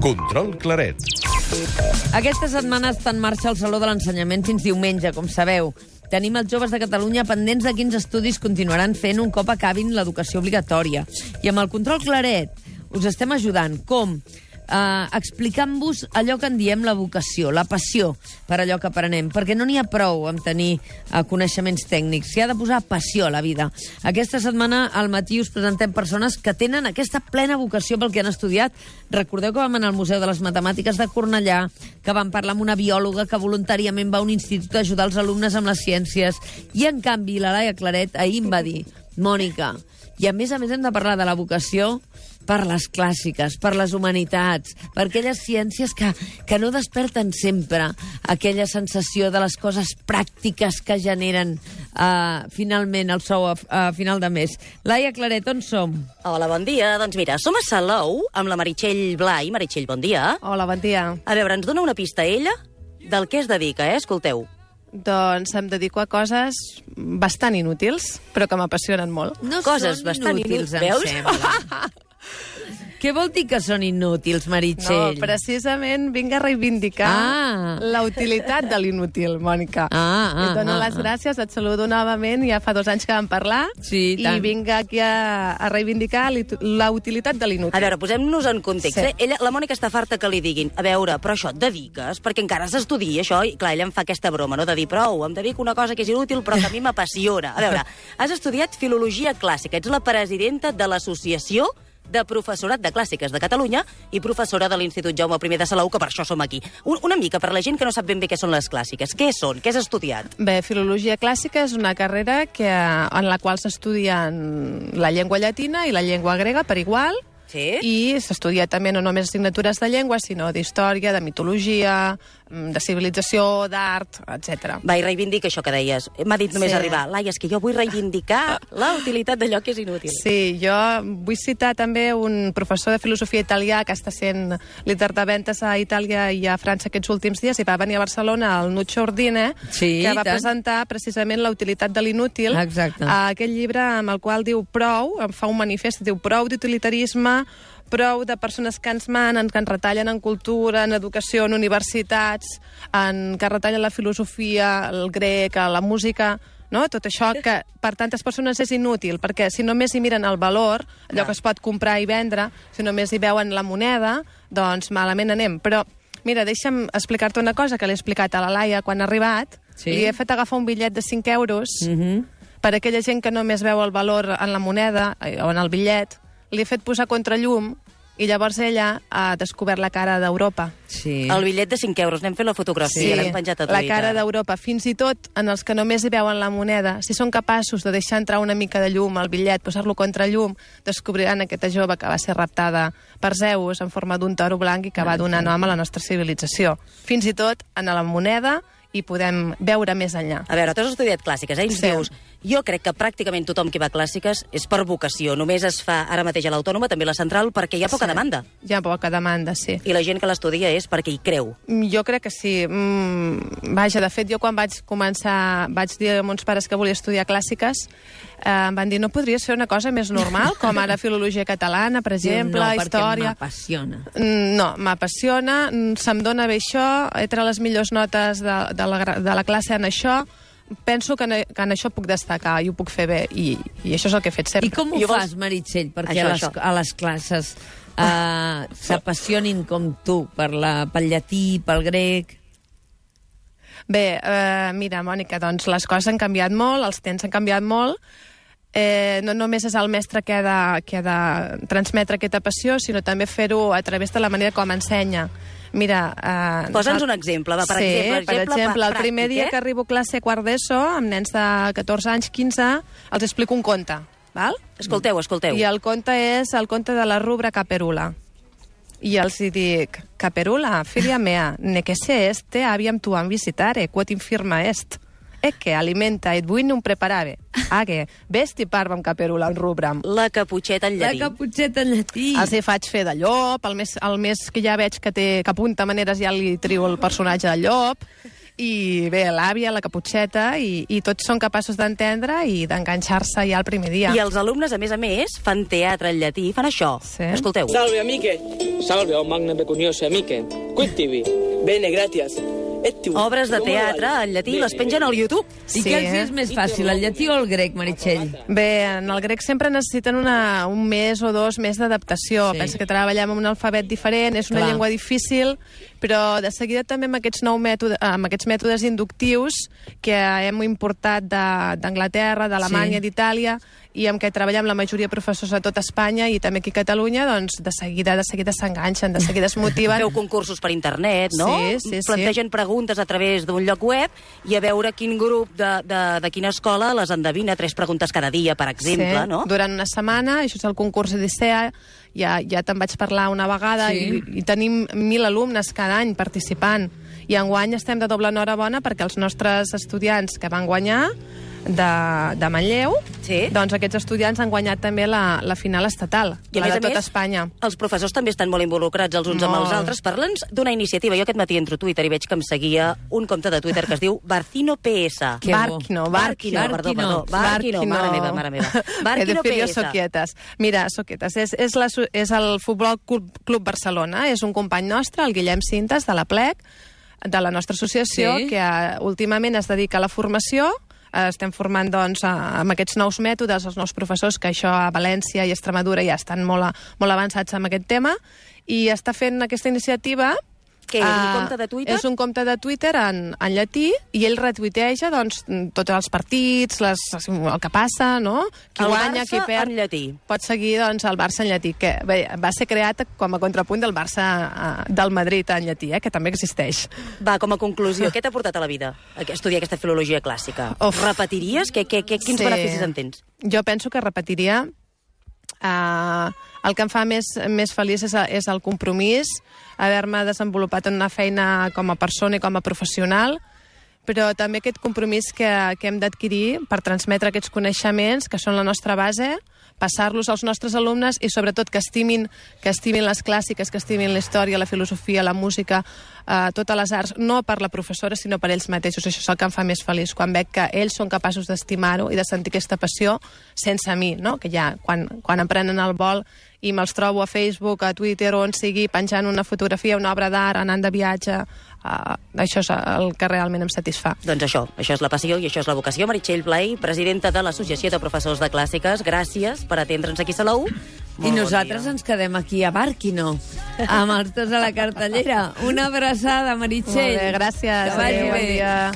Control Claret. Aquesta setmana està en marxa el Saló de l'Ensenyament fins diumenge, com sabeu. Tenim els joves de Catalunya pendents de quins estudis continuaran fent un cop acabin l'educació obligatòria. I amb el Control Claret us estem ajudant. Com? Explicant-vos allò que en diem la vocació, la passió per allò que aprenem, perquè no n'hi ha prou amb tenir coneixements tècnics, s'hi ha de posar passió a la vida. Aquesta setmana al matí us presentem persones que tenen aquesta plena vocació pel que han estudiat. Recordeu que vam anar al Museu de les Matemàtiques de Cornellà, que vam parlar amb una biòloga que voluntàriament va a un institut a ajudar els alumnes amb les ciències, i en canvi la Laia Claret ahir em va dir: Mònica, i a més hem de parlar de la vocació per les clàssiques, per les humanitats, per aquelles ciències que no desperten sempre aquella sensació de les coses pràctiques que generen finalment el sou a final de mes. Laia Claret, on som? Hola, bon dia. Doncs mira, som a Salou amb la Meritxell Blai. Meritxell, bon dia. Hola, bon dia. A veure, ens dona una pista ella del que es dedica, Escolteu. Doncs em dedico a coses bastant inútils, però que m'apassionen molt. No Coses són bastant inútils, em veus? sembla. Què vol dir que són inútils, Meritxell? No, precisament vinc a reivindicar la utilitat de l'inútil, Mònica. Et dono les gràcies, et saludo novament, ja fa 2 anys que vam parlar, sí, i vinc aquí a reivindicar la utilitat de l'inútil. A veure, posem-nos en context. Sí. La Mònica està farta que li diguin: a veure, però això et dediques? Perquè encara s'estudia això, i clar, ella em fa aquesta broma, no?, de dir, prou, em dedico a una cosa que és inútil però que a mi m'apassiona. A veure, has estudiat Filologia Clàssica, ets la presidenta de l'Associació de Professorat de Clàssiques de Catalunya i professora de l'Institut Jaume I de Salou, que per això som aquí. Una mica per la gent que no sap ben bé què són les clàssiques. Què són? Què has estudiat? Bé, Filologia Clàssica és una carrera en la qual s'estudien la llengua llatina i la llengua grega per igual. Sí? I s'estudia també no només assignatures de llengua, sinó d'història, de mitologia, de civilització, d'art, etc. Va, i reivindica això que deies. M'ha dit només Sí. arribar: Laia, és que jo vull reivindicar la utilitat d'allò que és inútil. Sí, jo vull citar també un professor de filosofia italià que està sent líder de ventes a Itàlia i a França aquests últims dies, i va venir a Barcelona, el Nuccio Ordine, Sí, que va tant. presentar precisament la utilitat de l'inútil. Exacte. Aquest llibre amb el qual diu prou, em fa un manifest, diu prou d'utilitarisme, prou de persones que ens manen, que ens retallen en cultura, en educació, en universitats, que retallen la filosofia, el grec, la música, no? Tot això que per tantes persones és inútil, perquè si només hi miren el valor, allò que es pot comprar i vendre, si només hi veuen la moneda, doncs malament anem. Però, mira, deixa'm explicar-te una cosa que l'he explicat a la Laia quan ha arribat. Sí. Li he fet agafar un bitllet de 5 euros per a aquella gent que només veu el valor en la moneda o en el bitllet. Li he fet posar contrallum i llavors ella ha descobert la cara d'Europa. Sí. El bitllet de 5 euros, n'hem fet la fotografia, l'hem penjat a Twitter. La cara d'Europa. Fins i tot en els que només hi veuen la moneda, si són capaços de deixar entrar una mica de llum al bitllet, posar-lo contra llum, descobriran aquesta jove que va ser raptada per Zeus en forma d'un toro blanc i que va donar nom a la nostra civilització. Fins i tot en la moneda i podem veure més enllà. A veure, tu has estudiat clàssiques, Ens Sí. dius: jo crec que pràcticament tothom que va a clàssiques és per vocació. Només es fa ara mateix a l'Autònoma, també a la Central, perquè hi ha poca demanda. Hi ha poca demanda, sí. I la gent que l'estudia és perquè hi creu. Jo crec que sí. Vaja, de fet, jo quan vaig dir a mons pares que volia estudiar clàssiques, em van dir, no podries fer una cosa més normal, com ara filologia catalana, per exemple, no, història... perquè m'apassiona. No, m'apassiona, se'm dona bé això, he tret les millors notes de la classe en això, penso que en això puc destacar i ho puc fer bé, i això és el que he fet sempre. I com ho fas, Meritxell, perquè a les classes s'apassionin com tu pel llatí, pel grec? Bé, mira, Mònica, doncs les coses han canviat molt, els temps han canviat molt. No només és el mestre que ha de transmetre aquesta passió, sinó també fer-ho a través de la manera com ensenya. Mira... Posa'ns un exemple, va, per exemple, el primer dia que arribo a classe quart d'ESO, amb nens de 14 anys, 15, els explico un conte, val? Escolteu. I el conte és el conte de la rubra Caperula. I els hi dic: Caperula, filia mea, ne che se este aviam tuam visitare, quod infirma est. E che alimenta et vuit non preparave. Age, vesti parvam Caperula en rubram. La caputxeta en llatí. La caputxeta en llatí. Els hi faig fer de llop, el més que ja veig que apunta maneres ja li trio el personatge de llop, I bé, l'àvia, la Caputxeta, i tots són capaços d'entendre i d'enganxar-se ja el primer dia. I els alumnes, a més, fan teatre en llatí, fan això. Sí. Escolteu. Salve, amiche. Salve, oh magne pecuniose amiche. Quittivi. Bene, gratias. Obres de teatre en llatí les pengen al YouTube. I què els és més fàcil, el llatí o el grec, Meritxell? Bé, en el grec sempre necessiten un mes o dos més d'adaptació. Sí. Pensa que treballem amb un alfabet diferent, és una Clar. llengua difícil, però de seguida també amb aquests mètodes inductius que hem importat d'Anglaterra, d'Alemanya, d'Itàlia, i amb què treballem la majoria de professors a tot Espanya i també aquí a Catalunya, doncs de seguida s'enganxen, de seguida es motiven. Feu concursos per internet, no? Sí. Plantegen preguntes a través d'un lloc web i a veure quin grup de quina escola les endevina. 3 preguntes cada dia, per exemple, Sí, no? durant una setmana, això és el concurs Odissea, ja te'n vaig parlar una vegada, Sí. i tenim 1.000 alumnes cada any participant. I enguany estem de doble enhorabona perquè els nostres estudiants que van guanyar de Manlleu, Sí. doncs aquests estudiants han guanyat també la final estatal, I la de tota Espanya. Els professors també estan molt involucrats els uns amb els Molt. altres. Parla'ns d'una iniciativa. Jo aquest matí entro a Twitter i veig que em seguia un compte de Twitter que es diu Barcino PS. Que bo. Barquino, Perdó. Barquino, mare meva. Barquino He de PS. soquietes. Mira, soquietes, és el Futbol Club Barcelona, és un company nostre, el Guillem Cintas, de la PLEC, de la nostra associació, Sí. que últimament es dedica a la formació. Estem formant, doncs, amb aquests nous mètodes, els nous professors, que això a València i Extremadura ja estan molt avançats en aquest tema, i està fent aquesta iniciativa. Què és, un compte de Twitter? És un compte de Twitter en llatí, i ell retuiteja doncs, tots els partits, el que passa, no? Qui El guanya, Barça qui perd. en llatí. Pot seguir doncs, el Barça en llatí, que bé, va ser creat com a contrapunt del Barça del Madrid en llatí, que també existeix. Va, com a conclusió, què t'ha portat a la vida estudiar aquesta filologia clàssica? Uf. Repetiries? Quins beneficis en tens? Jo penso que repetiria. El que em fa més feliç és el compromís, haver-me desenvolupat en una feina com a persona i com a professional, però també aquest compromís que hem d'adquirir per transmetre aquests coneixements, que són la nostra base, passar-los als nostres alumnes i sobretot que estimin les clàssiques, que estimin la història, la filosofia, la música, totes les arts, no per la professora sinó per ells mateixos. Això és el que em fa més feliç, quan veig que ells són capaços d'estimar-ho i de sentir aquesta passió sense mi, no? Que ja quan em prenen el vol i me'ls trobo a Facebook, a Twitter, on sigui, penjant una fotografia, una obra d'art, anant de viatge, això és el que realment em satisfà. Doncs això és la passió i això és la vocació. Meritxell Blay, presidenta de l'Associació de Professors de Clàssiques, gràcies per atendre'ns aquí a Salou. I nosaltres ens quedem aquí a Barquino, amb els dos a la cartellera. Una abraçada, Meritxell. Molt bé, gràcies. Que vagi Adéu, bon bé. dia.